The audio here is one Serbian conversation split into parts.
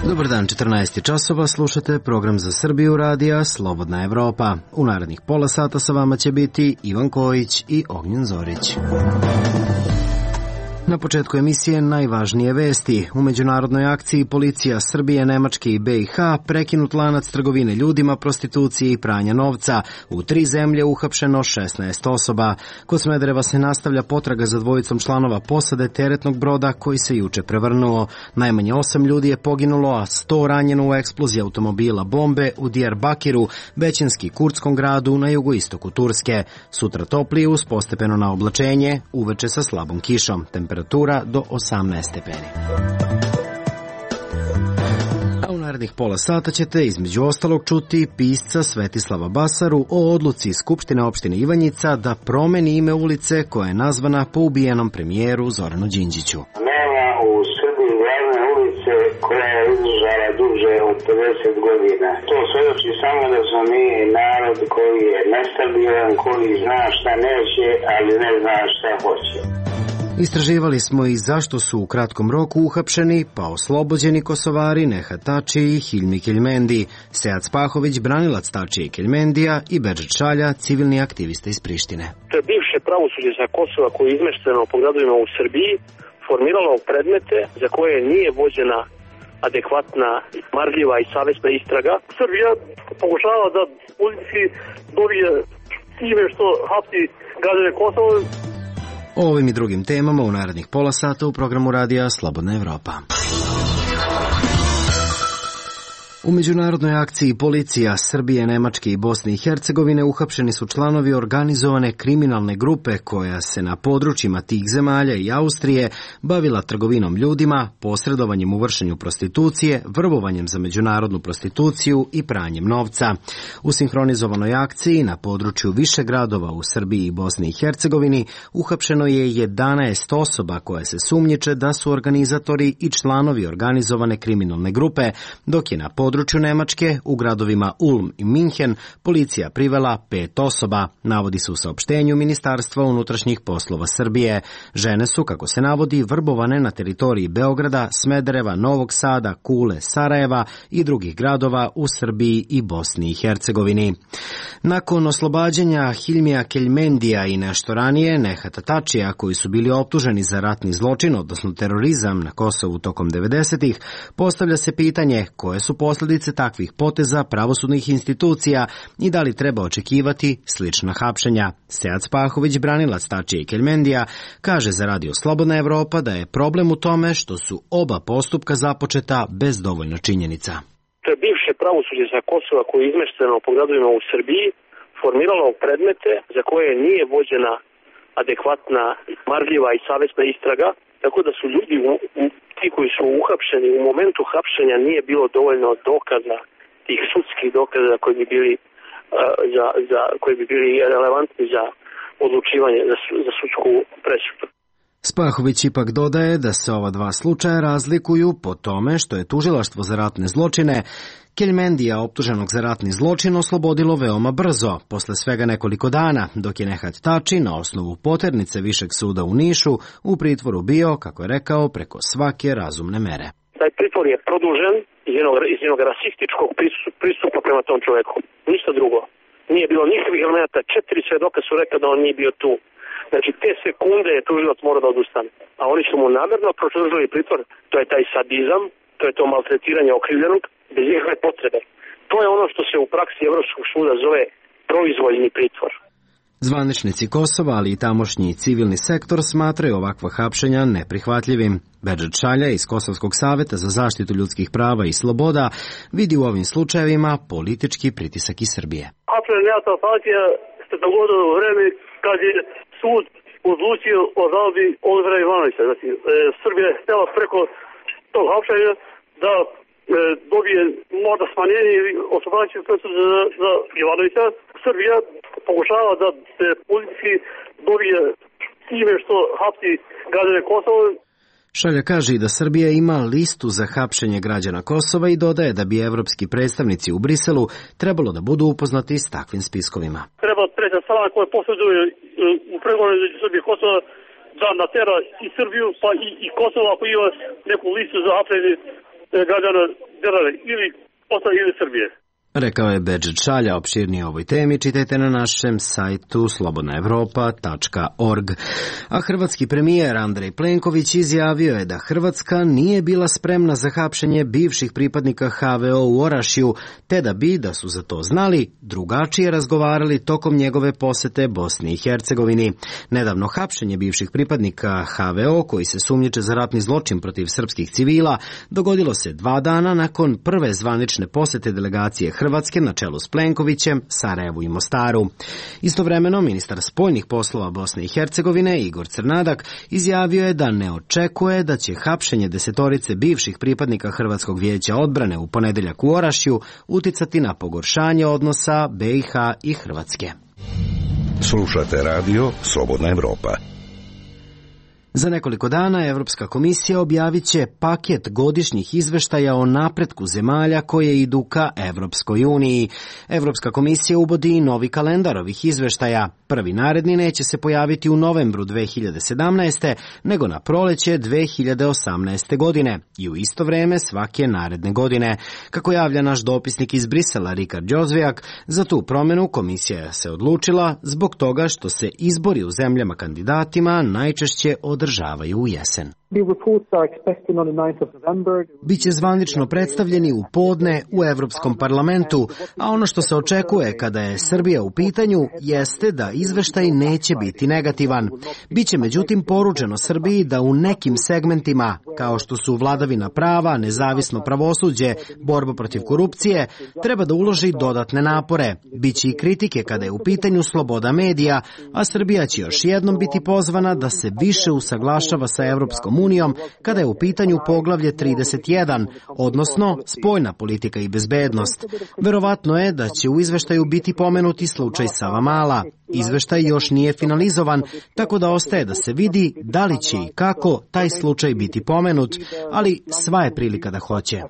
Dobar dan, 14 časova, slušate program za Srbiju radija Slobodna Evropa. U narednih pola sata sa vama će biti Ivan Kojić i Ognjen Zorić. Na početku emisije najvažnije vesti. U međunarodnoj akciji policija Srbije, Nemačke i BiH prekinut lanac trgovine ljudima, prostitucije i pranja novca. U 3 zemlje uhapšeno 16 osoba. Kod Smedereva se nastavlja potraga za dvojicom članova posade teretnog broda koji se juče prevrnuo. Najmanje 8 ljudi je poginulo, a 100 ranjeno u eksploziji automobila bombe u Diyarbakiru, većinski kurdskom gradu na jugoistoku Turske. Sutra toplije uz postepeno na oblačenje, uveče sa slabom kišom. Temperatura do 18 stepeni. A u narednih pola sata ćete između ostalog čuti pisca Svetislava Basaru o odluci Skupštine opštine Ivanjica da promeni ime ulice koja je nazvana po ubijenom premijeru Zoranu Đinđiću. Nema u Srbiji glavne ulice koja je izdržala duže od 50 godina. To svedoči samo da smo mi narod koji je nestabilan, koji zna šta neće, ali ne zna šta hoće. Istraživali smo i zašto su u kratkom roku uhapšeni pa oslobođeni Kosovari Nehat Tači i Hilmi Keljmendi, Sead Spahović, branilac Tačija i Keljmendija i Bedžet Šalja, civilni aktivista iz Prištine. To je bivše pravosuđe sa Kosova koje je izmešteno po gradovima u Srbiji, formiralo predmete za koje nije vođena adekvatna, marljiva i savesna istraga. Srbija pokušava da politici dobije time što hapsi građane Kosova. O ovim i drugim temama u narednih pola sata u programu radija Slobodna Evropa. U međunarodnoj akciji policija Srbije, Nemačke i Bosne i Hercegovine uhapšeni su članovi organizovane kriminalne grupe koja se na područjima tih zemalja i Austrije bavila trgovinom ljudima, posredovanjem u vršenju prostitucije, vrbovanjem za međunarodnu prostituciju i pranjem novca. U sinhronizovanoj akciji na području više gradova u Srbiji i Bosni i Hercegovini uhapšeno je 11 osoba koje se sumnjiče da su organizatori i članovi organizovane kriminalne grupe, dok je na području Nemačke u gradovima Ulm i Minhen policija privela 5 osoba, navodi se u saopštenju Ministarstva unutrašnjih poslova Srbije. Žene su, kako se navodi, vrbovane na teritoriji Beograda, Smedereva, Novog Sada, Kule, Sarajeva i drugih gradova u Srbiji i Bosni i Hercegovini. Nakon oslobađanja Hilmija Keljmendija i nešto ranije Nehata Tačija, koji su bili optuženi za ratni zločin, odnosno terorizam na Kosovu tokom 90-ih, postavlja se pitanje koje su posljedice takvih poteza pravosudnih institucija i da li treba očekivati slična hapšenja. Sead Spahović, branilac Tačija i Keljmendija, kaže za Radio Slobodna Evropa da je problem u tome što su oba postupka započeta bez dovoljno činjenica. To je bivše pravosuđe sa Kosova koje je izmešteno po gradovima u Srbiji, formiralo predmete za koje nije vođena adekvatna, marljiva i savesna istraga, tako da su ljudi ti koji su uhapšeni u momentu hapšenja nije bilo dovoljno dokaza, tih sudskih dokaza koji bi bili relevantni za odlučivanje za sudsku presudu. Spahović ipak dodaje da se ova dva slučaja razlikuju po tome što je tužilaštvo za ratne zločine Keljmendija, optuženog za ratni zločin, oslobodilo veoma brzo, posle svega nekoliko dana, dok je Nehat Tači na osnovu poternice Višeg suda u Nišu u pritvoru bio, kako je rekao, preko svake razumne mere. Taj pritvor je produžen iz jednog rasističkog pristupa prema tom čoveku. Ništa drugo. Nije bilo nikakvih elemenata. 4 svedoka su rekli da on nije bio tu. Znači, te sekunde je tužilac mora da odustane. A oni su mu namerno produžili pritvor. To je taj sadizam, to je to maltretiranje okrivljenog, bez ikakve potrebe. To je ono što se u praksi Evropskog suda zove proizvoljni pritvor. Zvaničnici Kosova, ali i tamošnji civilni sektor smatraju ovakva hapšenja neprihvatljivim. Bedžet Šalja iz Kosovskog saveta za zaštitu ljudskih prava i sloboda vidi u ovim slučajevima politički pritisak iz Srbije. Hapšenja partija se dogodilo u vreme kad je sud odlučio o žalbi Olivera Ivanovića. Znači, Srbija je htjela preko tog hapšenja da dobije možda smanjenje oslobađajuće presude za Ivanovića. Srbija pokušava da se politici dobije time što hapsi građane Kosova. Šalja kaže i da Srbija ima listu za hapšenje građana Kosova i dodaje da bi evropski predstavnici u Briselu trebalo da budu upoznati s takvim spiskovima. Treba treća strana koja posjeduje u pregovoru između Srbije i Kosova da natera i Srbiju pa i Kosovo ako ima neku listu za hapšenje građana države ili Kosova ili Srbije. Rekao je Bedžet Šalja. Opširnije o ovoj temi čitajte na našem sajtu slobodnaevropa.org. A hrvatski premijer Andrej Plenković izjavio je da Hrvatska nije bila spremna za hapšenje bivših pripadnika HVO u Orašju, te da bi, da su za to znali, drugačije razgovarali tokom njegove posete Bosni i Hercegovini. Nedavno hapšenje bivših pripadnika HVO, koji se sumnjiče za ratni zločin protiv srpskih civila, dogodilo se 2 dana nakon prve zvanične posete delegacije Hrvatske na čelu s Plenkovićem, Sarajevu i Mostaru. Istovremeno, ministar spoljnih poslova Bosne i Hercegovine Igor Crnadak izjavio je da ne očekuje da će hapšenje 10 bivših pripadnika Hrvatskog vijeća odbrane u ponedeljak u Orašju uticati na pogoršanje odnosa BiH i Hrvatske. Slušate radio Slobodna Evropa. Za nekoliko dana Evropska komisija objavit će paket godišnjih izveštaja o napretku zemalja koje idu ka Evropskoj uniji. Evropska komisija uvodi i novi kalendar ovih izveštaja. Prvi naredni neće se pojaviti u novembru 2017. nego na proleće 2018. godine i u isto vreme svake naredne godine. Kako javlja naš dopisnik iz Brisela Rikard Đozvijak, za tu promjenu komisija se odlučila zbog toga što se izbori u zemljama kandidatima najčešće održavaju u jesen. Biće zvanično predstavljeni u podne u Evropskom parlamentu, a ono što se očekuje kada je Srbija u pitanju jeste da izveštaj neće biti negativan. Biće međutim poručeno Srbiji da u nekim segmentima, kao što su vladavina prava, nezavisno pravosuđe, borba protiv korupcije, treba da uloži dodatne napore. Biće i kritike kada je u pitanju sloboda medija, a Srbija će još jednom biti pozvana da se više usaglašava sa Evropskom unijom kada je u pitanju poglavlje 31, odnosno spoljna politika i bezbednost. Verovatno je da će u izveštaju biti pomenuti slučaj Savamala. Izveštaj još nije finalizovan, tako da ostaje da se vidi da li će i kako taj slučaj biti pomenut, ali sva je prilika da hoće.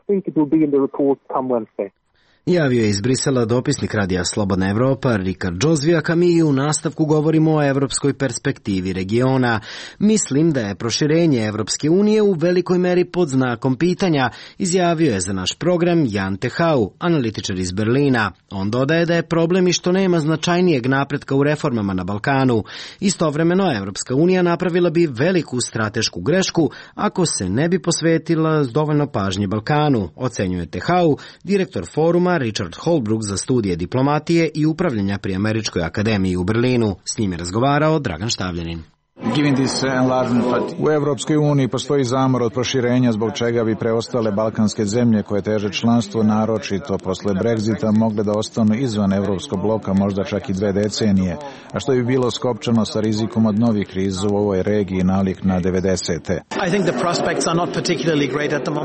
Javio je iz Brisela dopisnik radija Slobodna Evropa Rikard Đozvijak, a mi u nastavku govorimo o evropskoj perspektivi regiona. Mislim da je proširenje Evropske unije u velikoj meri pod znakom pitanja, izjavio je za naš program Jan Tehau, analitičar iz Berlina. On dodaje da je problem i što nema značajnijeg napretka u reformama na Balkanu. Istovremeno, Evropska unija napravila bi veliku stratešku grešku ako se ne bi posvetila dovoljno pažnje Balkanu, ocenjuje Tehau, direktor foruma Richard Holbrooke za studije diplomatije i upravljanja pri Američkoj akademiji u Berlinu. S njim je razgovarao Dragan Štavljanin. U Evropskoj uniji postoji zamor od proširenja zbog čega bi preostale balkanske zemlje koje teže članstvo naročito posle Brexita mogle da ostanu izvan evropskog bloka možda čak i 2 decenije, a što bi bilo skopčano sa rizikom od novih kriza u ovoj regiji nalik na 90.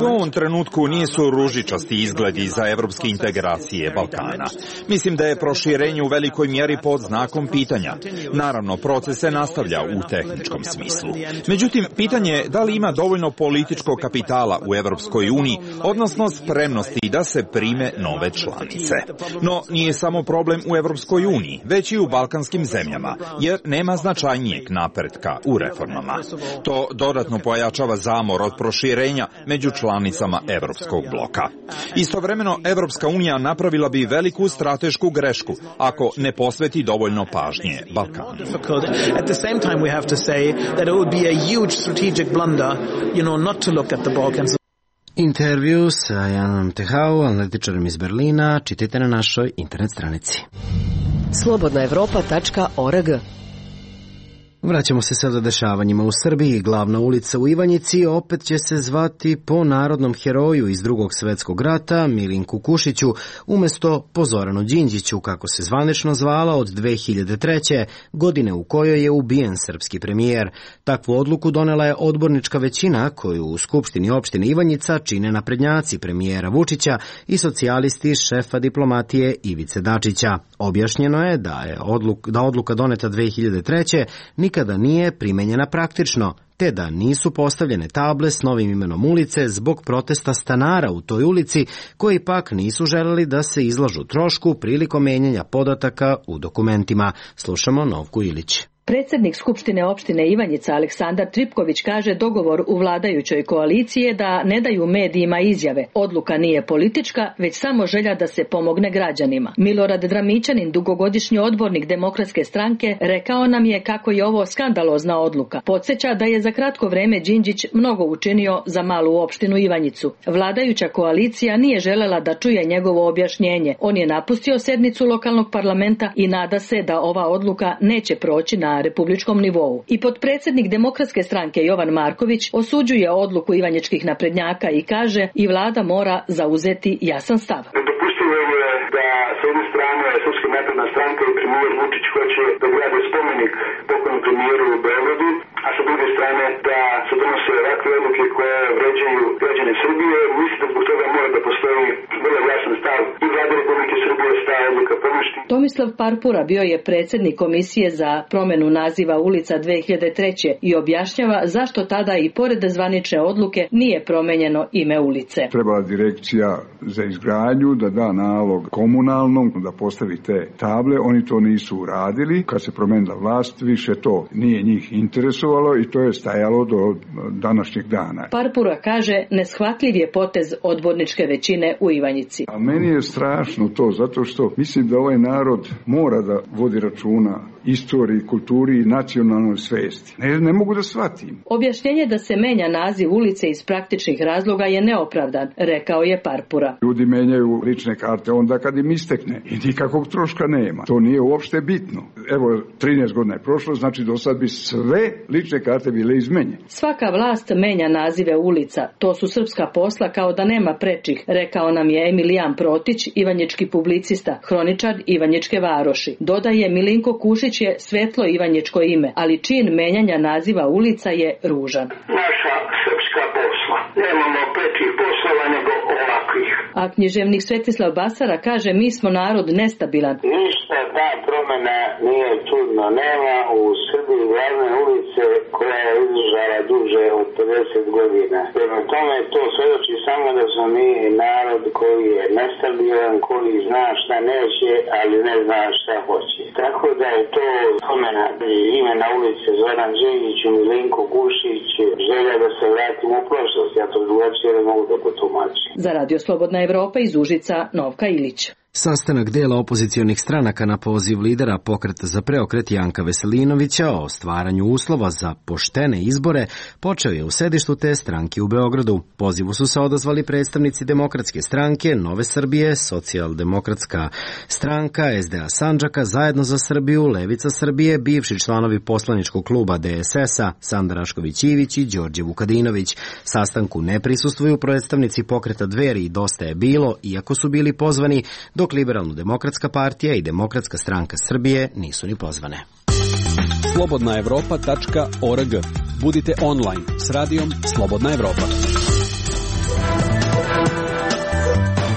U ovom trenutku nisu ružičasti izgledi za evropske integracije Balkana. Mislim da je proširenje u velikoj mjeri pod znakom pitanja. Naravno, proces se nastavlja u tehničkom smislu. Međutim, pitanje je da li ima dovoljno političkog kapitala u Evropskoj uniji, odnosno spremnosti da se prime nove članice. No, nije samo problem u Evropskoj uniji, već i u balkanskim zemljama, jer nema značajnijeg napretka u reformama. To dodatno pojačava zamor od proširenja među članicama Evropskog bloka. Istovremeno, Evropska unija napravila bi veliku stratešku grešku ako ne posveti dovoljno pažnje Balkanu. Intervju sa Janom Tehau, analitičarem iz Berlina, čitajte na našoj internet stranici. slobodnaevropa.org. Vraćamo se sada dešavanjima u Srbiji. Glavna ulica u Ivanjici opet će se zvati po narodnom heroju iz Drugog svjetskog rata, Milinku Kušiću, umjesto po Zoranu Đinđiću, kako se zvanično zvala od 2003. godine u kojoj je ubijen srpski premijer. Takvu odluku donela je odbornička većina koju u Skupštini opštine Ivanjica čine naprednjaci premijera Vučića i socijalisti šefa diplomatije Ivice Dačića. Objašnjeno je da odluka doneta 2003. nikada nije primenjena praktično, te da nisu postavljene table s novim imenom ulice zbog protesta stanara u toj ulici, koji pak nisu želeli da se izlažu trošku prilikom menjanja podataka u dokumentima. Slušamo Novku Ilić. Predsjednik Skupštine opštine Ivanjica Aleksandar Tripković kaže dogovor u vladajućoj koaliciji je da ne daju medijima izjave. Odluka nije politička, već samo želja da se pomogne građanima. Milorad Dramićanin, dugogodišnji odbornik Demokratske stranke, rekao nam je kako je ovo skandalozna odluka. Podsjeća da je za kratko vreme Đinđić mnogo učinio za malu opštinu Ivanjicu. Vladajuća koalicija nije želela da čuje njegovo objašnjenje. On je napustio sednicu lokalnog parlamenta i nada se da ova odluka neće proći na republičkom nivou. I potpredsjednik Demokratske stranke Jovan Marković osuđuje odluku ivanjičkih naprednjaka i kaže i vlada mora zauzeti jasan stav. Nedopustivo je da s jedne strane Srpska napredna stranka i premijer Vučić hoće da grade spomenik pokojnom premijeru u Beogradu, a sa druge strane da se donose ovakve odluke koje vređaju građane Srbije. Mislim da zbog toga mora da postoji vrlo jasan stav i vlade Republike Srbije sta odluka poništi. Tomislav Parpura bio je predsjednik komisije za promjenu naziva ulica 2003. i objašnjava zašto tada i pored zvanične odluke nije promenjeno ime ulice. Trebala direkcija za izgradnju da da nalog komunalnom da postavi te table, oni to nisu uradili. Kad se promenila vlast, više to nije njih interesovalo i to je stajalo do današnjeg dana. Parpura kaže neshvatljiv je potez odborničke većine u Ivanjici. A meni je strašno to, zato što mislim da ovaj narod mora da vodi računa istoriji, kulturi i nacionalnoj svesti. Ne mogu da shvatim. Objašnjenje da se menja naziv ulice iz praktičnih razloga je neopravdan, rekao je Parpura. Ljudi menjaju lične karte onda kad im istekne i nikakvog troška nema. To nije uopšte bitno. Evo, 13 godina je prošlo, znači do sad bi sve lične karte bile izmenjene. Svaka vlast menja nazive ulica. To su srpska posla kao da nema prečih, rekao nam je Emilijan Protić, ivanjički publicista, hroničar Ivanjičke varoši. Dodaje Milinko Kušić je svetlo ivanjičko ime, ali čin menjanja naziva ulica je ružan. Naša srpska posla. Nemamo prečih poslova nego ovakvih. A književnik Svetislav Basara kaže mi smo narod nestabilan. Ništa ta promjena nije čudno. Nema u Srbiji glavne ulice koja je izdržala duže od 50 godina. Prema tome to svedoči samo da smo mi narod koji je nestabilan, koji zna šta neće, ali ne zna šta hoće. Tako da je to promjena imena ulice Zoran Đinđić i Milinko Kušić, želja da se vratimo u prošlost. Ja to drugačije ne mogu da potumačim. Za Radio Slobodna Evropa iz Užica, Novka Ilić. Sastanak dela opozicionih stranaka na poziv lidera Pokreta za preokret Janka Veselinovića o stvaranju uslova za poštene izbore počeo je u sedištu te stranke u Beogradu. Pozivu su se odazvali predstavnici Demokratske stranke, Nove Srbije, Socijaldemokratska stranka, SDA Sandžaka, Zajedno za Srbiju, Levica Srbije, bivši članovi poslaničkog kluba DSS-a, Sanda Rašković-Ivić i Đorđe Vukadinović. Sastanku ne prisustvuju predstavnici Pokreta Dveri i Dosta je bilo, iako su bili pozvani, dok Liberalno-demokratska partija i Demokratska stranka Srbije nisu ni pozvane. Slobodnaevropa.org. Budite online s radijom Slobodna Evropa.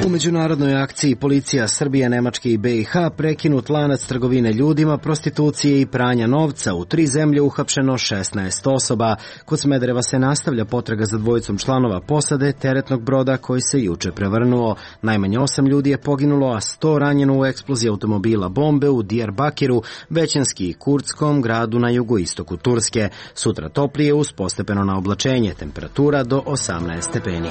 U međunarodnoj akciji policija Srbije, Nemačke i BiH prekinut lanac trgovine ljudima, prostitucije i pranja novca. U 3 zemlje uhapšeno 16 osoba. Kod Smedereva se nastavlja potraga za dvojicom članova posade teretnog broda koji se juče prevrnuo. Najmanje 8 ljudi je poginulo, a 100 ranjeno u eksploziji automobila bombe u Diyarbakiru, većinski kurdskom gradu na jugoistoku Turske. Sutra toplije uz postepeno naoblačenje, temperatura do 18 stepeni.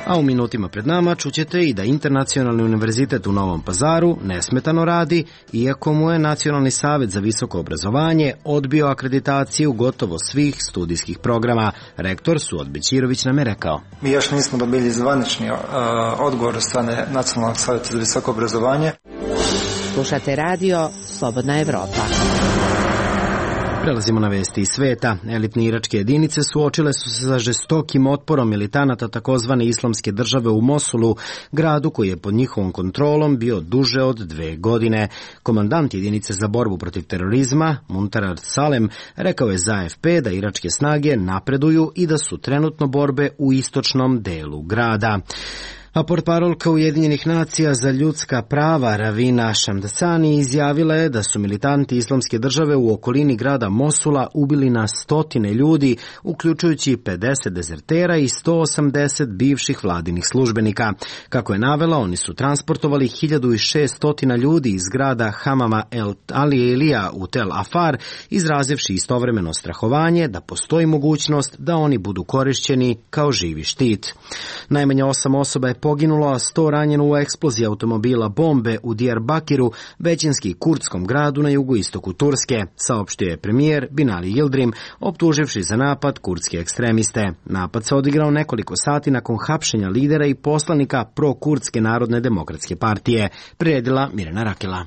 A u minutima pred nama čućete i da Internacionalni univerzitet u Novom Pazaru nesmetano radi, iako mu je Nacionalni savet za visoko obrazovanje odbio akreditaciju gotovo svih studijskih programa. Rektor Suad Bećirović nam je rekao. Mi još nismo dobili zvanični odgovor od strane Nacionalnog saveta za visoko obrazovanje. Slušate radio Slobodna Evropa. Prelazimo na vesti iz sveta. Elitne iračke jedinice suočile su se sa žestokim otporom militanata takozvane islamske države u Mosulu, gradu koji je pod njihovom kontrolom bio duže od 2 godine. Komandant jedinice za borbu protiv terorizma, Muntarar Salem, rekao je za AFP da iračke snage napreduju i da su trenutno borbe u istočnom delu grada. A portparolka Ujedinjenih nacija za ljudska prava Ravina Shamdasani izjavila je da su militanti Islamske države u okolini grada Mosula ubili na stotine ljudi, uključujući 50 dezertera i 180 bivših vladinih službenika. Kako je navela, oni su transportovali 1600 ljudi iz grada Hamama El Alielija u Tel Afar, izrazivši istovremeno strahovanje da postoji mogućnost da oni budu korišćeni kao živi štit. Najmanje 8 osoba je poginulo, a 100 ranjeno u eksploziji automobila bombe u Diyarbakiru, većinski kurdskom gradu na jugoistoku Turske, saopštio je premijer Binali Yildirim, optuživši za napad kurdske ekstremiste. Napad se odigrao nekoliko sati nakon hapšenja lidera i poslanika pro-kurdske Narodne demokratske partije, priredila Mirjana Rakela.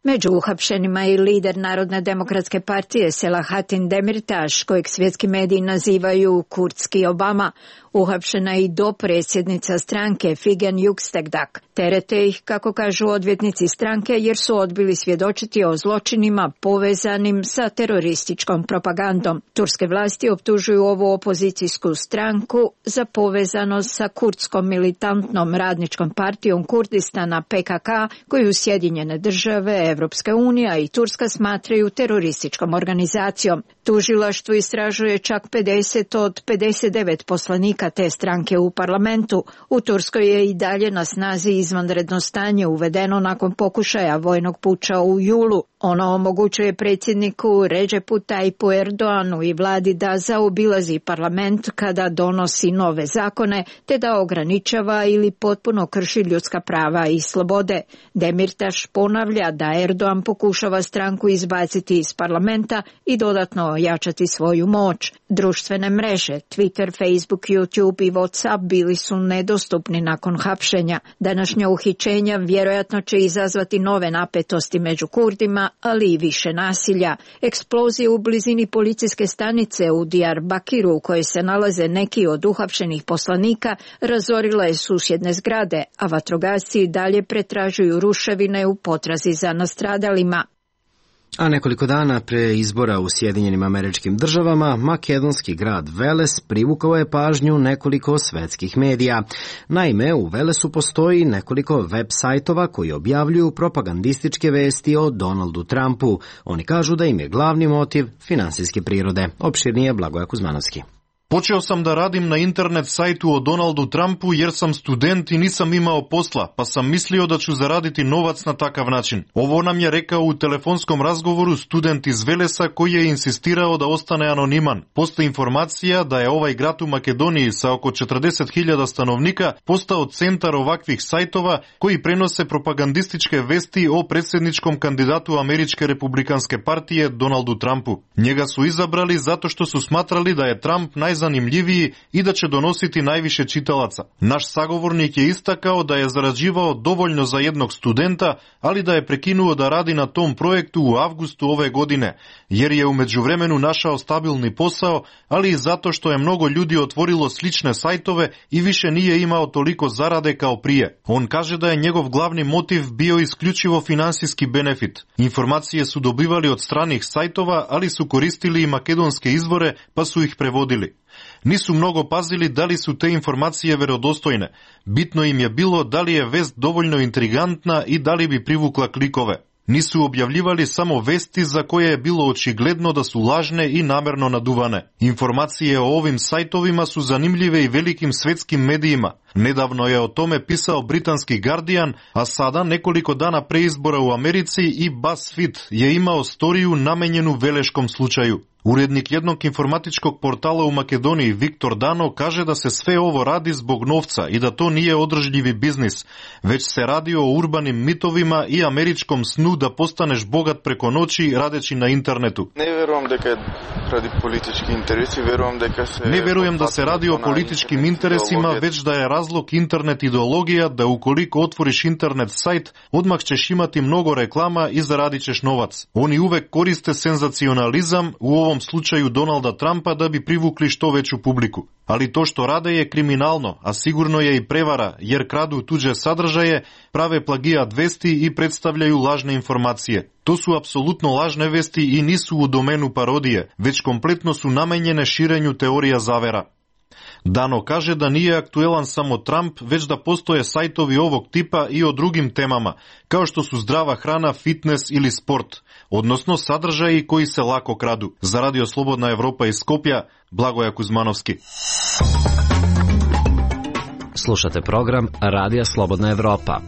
Među uhapšenima je i lider Narodne demokratske partije Selahattin Demirtaš, kojeg svjetski mediji nazivaju kurdski Obama. Uhapšena je i dopredsjednica stranke Figen Yüksekdag. Terete ih, kako kažu odvjetnici stranke, jer su odbili svjedočiti o zločinima povezanim sa terorističkom propagandom. Turske vlasti optužuju ovu opozicijsku stranku za povezanost sa kurdskom militantnom radničkom partijom Kurdistana PKK, koju Sjedinjene države, Evropska unija i Turska smatraju terorističkom organizacijom. Tužilaštvo istražuje čak 50 od 59 poslanika te stranke u parlamentu. U Turskoj je i dalje na snazi izvanredno stanje uvedeno nakon pokušaja vojnog puča u julu. Ono omogućuje predsjedniku Recepu Tayyipu Erdoğanu i vladi da zaobilazi parlament kada donosi nove zakone, te da ograničava ili potpuno krši ljudska prava i slobode. Demirtaš ponavlja da Erdoğan pokušava stranku izbaciti iz parlamenta i dodatno ojačati svoju moć. Društvene mreže, Twitter, Facebook, YouTube i WhatsApp bili su nedostupni nakon hapšenja. Današnja uhićenja vjerojatno će izazvati nove napetosti među Kurdima, ali i više nasilja. Eksplozije u blizini policijske stanice u Diyarbakiru, u kojoj se nalaze neki od uhapšenih poslanika, razorila je susjedne zgrade, a vatrogasci dalje pretražuju ruševine u potrazi za nastradalima. A nekoliko dana pre izbora u Sjedinjenim Američkim Državama, makedonski grad Veles privukao je pažnju nekoliko svetskih medija. Naime, u Velesu postoji nekoliko web sajtova koji objavljuju propagandističke vesti o Donaldu Trumpu. Oni kažu da im je glavni motiv finansijske prirode. Opširnije Blagoja Kuzmanovski. Počeo sam da radim na internet sajtu o Donaldu Trumpu jer sam student i nisam imao posla, pa sam mislio da ću zaraditi novac na takav način. Ovo nam je rekao u telefonskom razgovoru student iz Velesa koji je insistirao da ostane anoniman. Postoji informacija da je ovaj grad u Makedoniji sa oko 40.000 stanovnika postao centar ovakvih sajtova koji prenose propagandističke vesti o predsjedničkom kandidatu Američke republikanske partije Donaldu Trumpu. Njega su izabrali zato što su smatrali da je Trump najzanimljiviji i da će donositi najviše čitalaca. Naš sagovornik je istakao da je zarađivao dovoljno za jednog studenta, ali da je prekinuo da radi na tom projektu u avgustu ove godine, jer je u međuvremenu našao stabilni posao, ali i zato što je mnogo ljudi otvorilo slične sajtove i više nije imao toliko zarade kao prije. On kaže da je njegov glavni motiv bio isključivo finansijski benefit. Informacije su dobivali od stranih sajtova, ali su koristili i makedonske izvore, pa su ih prevodili. Nisu mnogo pazili da li su te informacije verodostojne. Bitno im je bilo da li je vest dovoljno intrigantna i da li bi privukla klikove. Nisu objavljivali samo vesti za koje je bilo očigledno da su lažne i namerno naduvane. Informacije o ovim sajtovima su zanimljive i velikim svetskim medijima. Nedavno je o tome pisao britanski Guardian, a sada, nekoliko dana pre izbora u Americi, i BuzzFeed je imao storiju namenjenu veleškom slučaju. Urednik jednog informatičkog portala u Makedoniji, Viktor Dano, kaže da se sve ovo radi zbog novca i da to nije održivi biznis, već se radi o urbanim mitovima i američkom snu da postaneš bogat preko noći radeći na internetu. Ne verujem da se radi o političkim interesima, već da je razlog internet ideologija, da ukoliko otvoriš internet sajt, odmah ćeš imati mnogo reklama i zaradit ćeš novac. Oni uvek koriste senzacionalizam, u ovom slučaju Donalda Trumpa, da bi privukli što veću publiku. Ali to što rade je kriminalno, a sigurno je i prevara, jer kradu tuđe sadržaje, prave plagijat vesti i predstavljaju lažne informacije. To su apsolutno lažne vesti i nisu u domenu parodije, već kompletno su namenjene širenju teorija zavera. Dano kaže da nije aktuelan samo Trump, već da postoje sajtovi ovog tipa i o drugim temama, kao što su zdrava hrana, fitness ili sport, odnosno sadržaji koji se lako kradu. Za Radio Slobodna Evropa iz Skopja, Blagoja Kuzmanovski. Slušate program Radija Slobodna Evropa.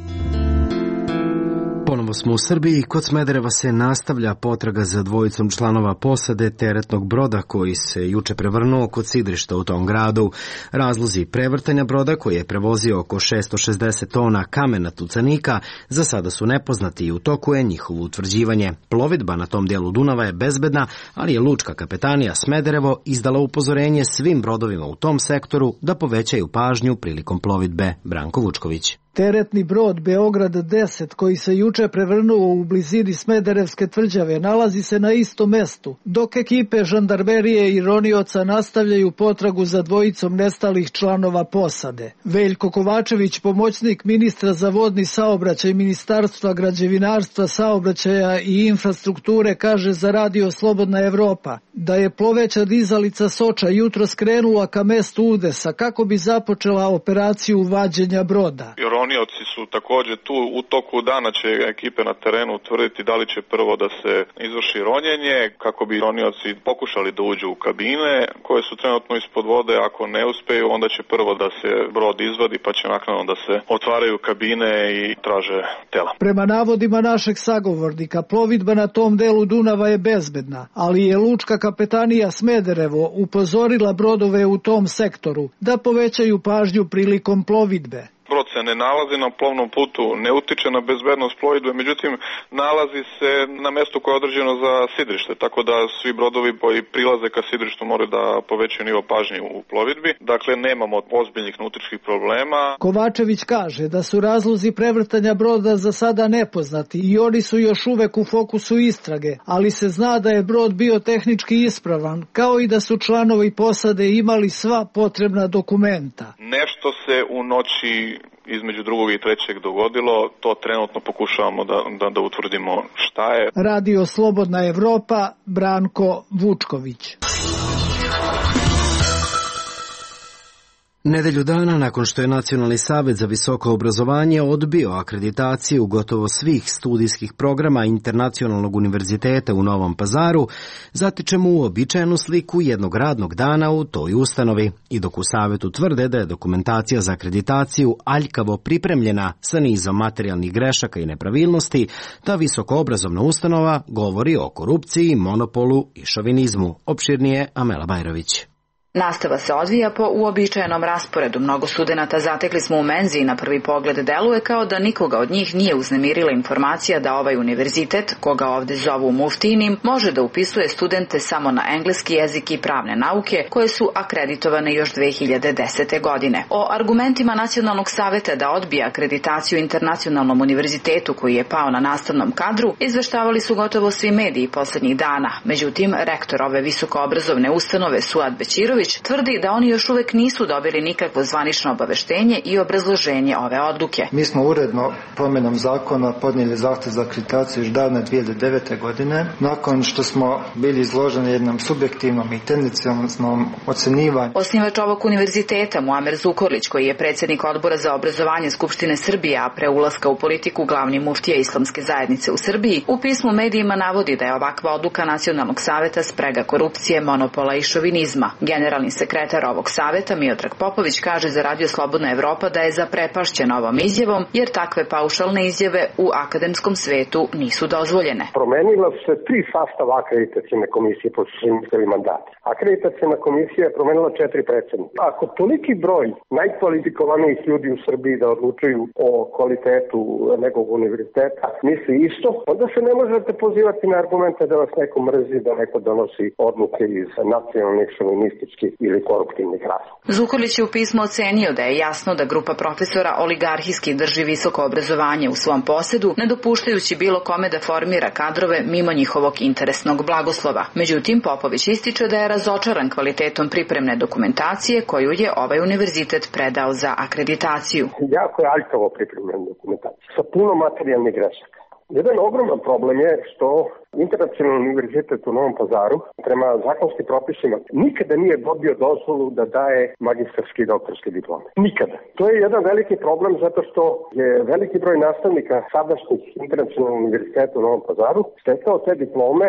Ponovo smo u Srbiji. Kod Smedereva se nastavlja potraga za dvojicom članova posade teretnog broda koji se juče prevrnuo kod sidrišta u tom gradu. Razlozi prevrtanja broda koji je prevozio oko 660 tona kamena tucanika za sada su nepoznati i u toku je njihovo utvrđivanje. Plovidba na tom dijelu Dunava je bezbedna, ali je lučka kapetanija Smederevo izdala upozorenje svim brodovima u tom sektoru da povećaju pažnju prilikom plovidbe. Branko Vučković. Teretni brod Beograd 10 koji se juče prevrnuo u blizini Smederevske tvrđave nalazi se na istom mestu, dok ekipe žandarmerije i ronioca nastavljaju potragu za dvojicom nestalih članova posade. Veljko Kovačević, pomoćnik ministra za vodni saobraćaj Ministarstva građevinarstva, saobraćaja i infrastrukture, kaže za Radio Slobodna Evropa da je ploveća dizalica Soča jutro skrenula ka mestu udesa kako bi započela operaciju vađenja broda. Ronioci su također tu, u toku dana će ekipe na terenu utvrditi da li će prvo da se izvrši ronjenje, kako bi ronioci pokušali da uđu u kabine koje su trenutno ispod vode. Ako ne uspeju, onda će prvo da se brod izvadi, pa će naknadno da se otvaraju kabine i traže tela. Prema navodima našeg sagovornika, plovidba na tom delu Dunava je bezbedna, ali je lučka kapetanija Smederevo upozorila brodove u tom sektoru da povećaju pažnju prilikom plovidbe. Brod se ne nalazi na plovnom putu, ne utiče na bezbednost plovidbe, međutim nalazi se na mjestu koje je određeno za sidrište, tako da svi brodovi koji prilaze ka sidrištu moraju da povećaju nivo pažnje u plovidbi. Dakle, nemamo ozbiljnih nautičkih problema. Kovačević kaže da su razlozi prevrtanja broda za sada nepoznati i oni su još uvek u fokusu istrage, ali se zna da je brod bio tehnički ispravan, kao i da su članovi posade imali sva potrebna dokumenta. Nešto se u noći između drugog i trećeg dogodilo, to trenutno pokušavamo da utvrdimo šta je. Radio Slobodna Evropa, Branko Vučković. Nedelju dana nakon što je Nacionalni savet za visoko obrazovanje odbio akreditaciju gotovo svih studijskih programa Internacionalnog univerziteta u Novom Pazaru, zatičemo uobičajenu sliku jednog radnog dana u toj ustanovi. I dok u savetu tvrde da je dokumentacija za akreditaciju aljkavo pripremljena sa nizom materijalnih grešaka i nepravilnosti, ta visokoobrazovna ustanova govori o korupciji, monopolu i šovinizmu. Opširnije Amela Bajrović. Nastava se odvija po uobičajenom rasporedu. Mnogo studenata zatekli smo u menzi i na prvi pogled deluje kao da nikoga od njih nije uznemirila informacija da ovaj univerzitet, koga ovde zovu muftinim, može da upisuje studente samo na engleski jezik i pravne nauke, koje su akreditovane još 2010. godine. O argumentima Nacionalnog saveta da odbija akreditaciju Internacionalnom univerzitetu koji je pao na nastavnom kadru izveštavali su gotovo svi mediji poslednjih dana. Međutim, rektor ove visokoobrazovne ustanove Suad Bećirović tvrdi da oni još uvek nisu dobili nikakvo zvanično obaveštenje i obrazloženje ove odluke. Mi smo uredno promjenom zakona podnijeli zahtev za akreditaciju još davne 2009. godine. Nakon što smo bili izloženi jednom subjektivnom i tendencijalnom ocenivanju. Osnivač ovog univerziteta Muamer Zukorlić, koji je predsjednik odbora za obrazovanje Skupštine Srbije, a pre ulaska u politiku glavni muftija Islamske zajednice u Srbiji, u pismu medijima navodi da je ovakva odluka Nacionalnog saveta sprega korupcije, monopola i šovinizma. Generalni sekretar ovog saveta Miodrag Popović kaže za Radio Slobodna Evropa da je zaprepašćen ovom izjavom, jer takve paušalne izjave u akademskom svetu nisu dozvoljene. Promenila se 3 sastava akreditacijne komisije po svim mandati. Akreditacijna komisija je promenila 4 predsjednika. Ako toliki broj najkvalifikovanijih ljudi u Srbiji da odlučuju o kvalitetu nekog univerziteta misli isto, onda se ne možete pozivati na argumente da vas neko mrzi, da neko donosi odluke iz nacionalnih šovinističkih ili koruptivnih razloga. Zukorlić je u pismu ocenio da je jasno da grupa profesora oligarhijski drži visoko obrazovanje u svom posedu, ne dopuštajući bilo kome da formira kadrove mimo njihovog interesnog blagoslova. Međutim, Popović ističe da je razočaran kvalitetom pripremne dokumentacije koju je ovaj univerzitet predao za akreditaciju. Jako je aljkavo pripremljena dokumentacija sa puno materijalnih grešaka. Jedan ogroman problem je što Internacionalni univerzitet u Novom Pazaru prema zakonskim propisima nikada nije dobio dozvolu da daje magistarske i doktorske diplome. Nikada. To je jedan veliki problem zato što je veliki broj nastavnika sadašnjih Internacionalnog univerziteta u Novom Pazaru stekao te diplome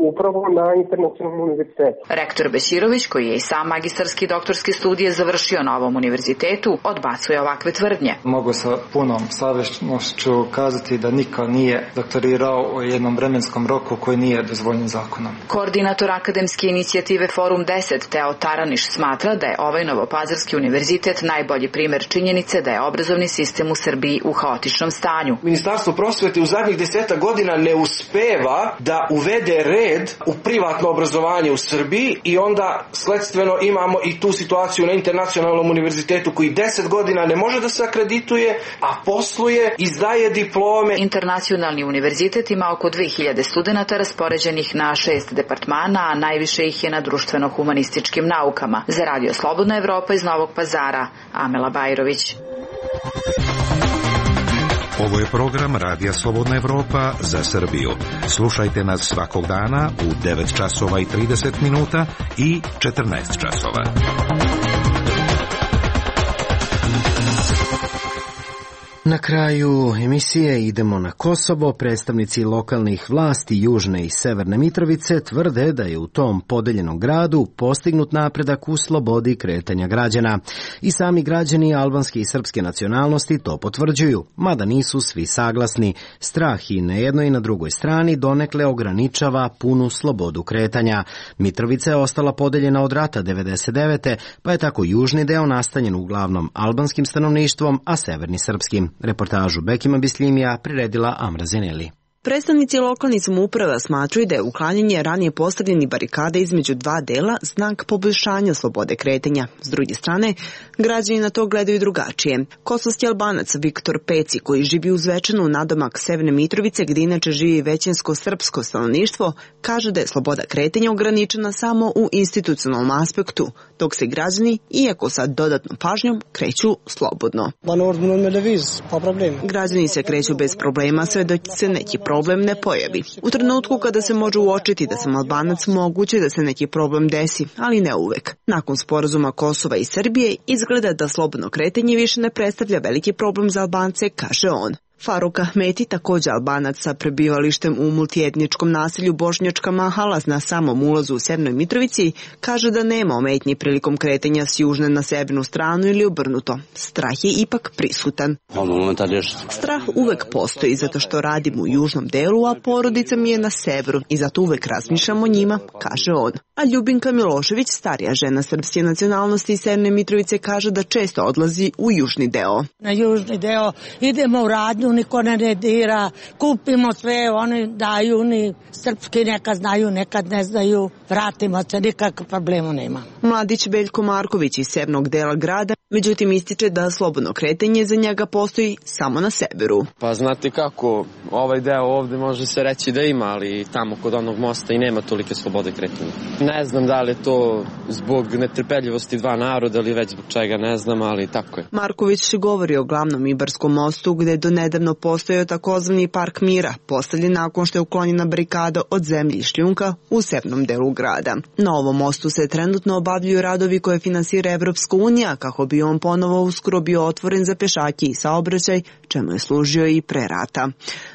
upravo na Internacionalnom univerzitetu. Rektor Bećirović, koji je i sam magistarski i doktorski studije završio na ovom univerzitetu, odbacuje ovakve tvrdnje. Mogu sa punom savješću kazati da niko nije doktorirao u jednom vremenskom roku koji nije dozvoljen zakonom. Koordinator akademske inicijative Forum 10, Teo Taraniš, smatra da je ovaj Novopazarski univerzitet najbolji primer činjenice da je obrazovni sistem u Srbiji u haotičnom stanju. Ministarstvo prosvete u zadnjih 10 godina ne uspeva da uvede red u privatno obrazovanje u Srbiji i onda sledstveno imamo i tu situaciju na Internacionalnom univerzitetu koji 10 godina ne može da se akredituje, a posluje, izdaje diplome. Internacionalni univerzitet ima oko 2000 studenata raspoređenih na 6 departmana, a najviše ih je na društveno-humanističkim naukama. Za Radio Slobodna Evropa iz Novog Pazara, Amela Bajrović. Ovo je program Radija Slobodna Evropa za Srbiju. Slušajte nas svakog dana u 9 časova i 30 minuta i 14 časova. Na kraju emisije idemo na Kosovo. Predstavnici lokalnih vlasti Južne i Severne Mitrovice tvrde da je u tom podeljenom gradu postignut napredak u slobodi kretanja građana. I sami građani albanske i srpske nacionalnosti to potvrđuju, mada nisu svi saglasni. Strah i na jednoj i na drugoj strani donekle ograničava punu slobodu kretanja. Mitrovica je ostala podeljena od rata 1999. pa je tako južni deo nastanjen uglavnom albanskim stanovništvom, a severni srpskim. Reportažu Bekima Bisljimija priredila Amra Zeneli. Predstavnici lokalnih samouprava smatraju da je uklanjanje ranije postavljenih barikada između dva dela znak poboljšanja slobode kretanja. S druge strane, građani na to gledaju drugačije. Kosovski Albanac Viktor Peci, koji živi uz Zvečanu nadomak Severne Mitrovice, gdje inače živi većinsko srpsko stanovništvo, kaže da je sloboda kretanja ograničena samo u institucionalnom aspektu, dok se građani, iako sa dodatnom pažnjom, kreću slobodno. Građani se kreću bez problema sve dok se neki problem ne pojavi. U trenutku kada se može uočiti da sam Albanac, moguće da se neki problem desi, ali ne uvek. Nakon sporazuma Kosova i Srbije izgleda da slobodno kretanje više ne predstavlja veliki problem za Albance, kaže on. Faruk Ahmeti, također Albanac sa prebivalištem u multietničkom naselju Bošnjačka Mahala na samom ulazu u Severnoj Mitrovici, kaže da nema ometnji prilikom kretanja s južne na severnu stranu ili obrnuto. Strah je ipak prisutan. Strah uvek postoji zato što radim u južnom delu, a porodica mi je na severu i zato uvek razmišljam o njima, kaže on. A Ljubinka Milošević, starija žena srpske nacionalnosti iz Severne Mitrovice, kaže da često odlazi u južni deo. Na južni deo idemo u radnju, niko ne dira, kupimo sve, oni daju, ni srpski nekad znaju, nekad ne znaju, vratimo se, nikakve problema nema. Mladić Veljko Marković iz severnog dela grada, međutim ističe da slobodno kretanje za njega postoji samo na severu. Pa znate kako, ovaj deo ovde može se reći da ima, ali tamo kod onog mosta i nema tolike slobode kretanja. Ne znam da li je to zbog netrpeljivosti dva naroda ili već zbog čega, ne znam, ali tako je. Marković govori o glavnom Ibarskom mostu gde je donedavno postojao takozvani park mira, postavljen nakon što je uklonjena barikada od zemlje i šljunka u severnom delu grada. Na ovom mostu se trenutno obavljaju radovi koje finansira Evropska unija kako bi on ponovo uskoro bio otvoren za pešake i saobraćaj, čemu je služio i pre rata.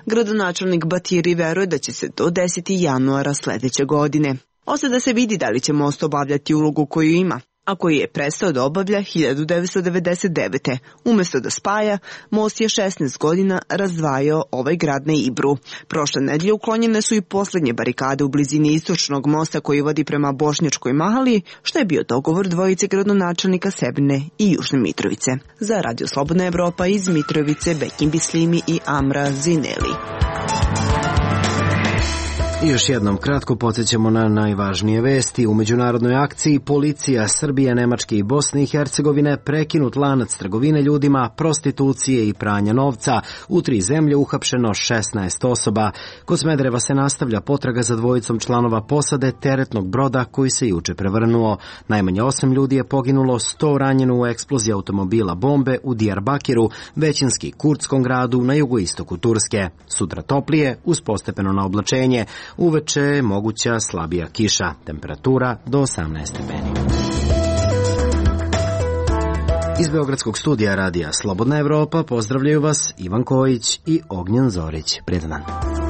Gradonačelnik Batiri veruje da će se to desiti januara sledeće godine. Ostaje da se vidi da li će most obavljati ulogu koju ima, a koji je prestao da obavlja 1999. Umesto da spaja, most je 16 godina razdvajao ovaj grad na Ibru. Prošle nedelje uklonjene su i poslednje barikade u blizini istočnog mosta koji vodi prema Bošnjačkoj Mahali, što je bio dogovor dvojice gradonačelnika Severne i Južne Mitrovice. Za Radio Slobodna Evropa iz Mitrovice, Bekim Bislimi i Amra Zineli. I još jednom kratko podsjećamo na najvažnije vesti. U međunarodnoj akciji policija Srbije, Nemačke i Bosne i Hercegovine prekinut lanac trgovine ljudima, prostitucije i pranja novca. U 3 zemlje uhapšeno 16 osoba. Kod Smedereva se nastavlja potraga za dvojicom članova posade teretnog broda koji se juče prevrnuo. Najmanje 8 ljudi je poginulo, 100 ranjeno u eksploziji automobila bombe u Diyarbakiru, većinski kurdskom gradu na jugoistoku Turske. Sutra toplije, uz postepeno na oblačenje. Uveče je moguća slabija kiša, temperatura do 18 stepeni. Iz Beogradskog studija radija Slobodna Evropa pozdravljaju vas Ivan Kojić i Ognjen Zorić. Prijetan dan.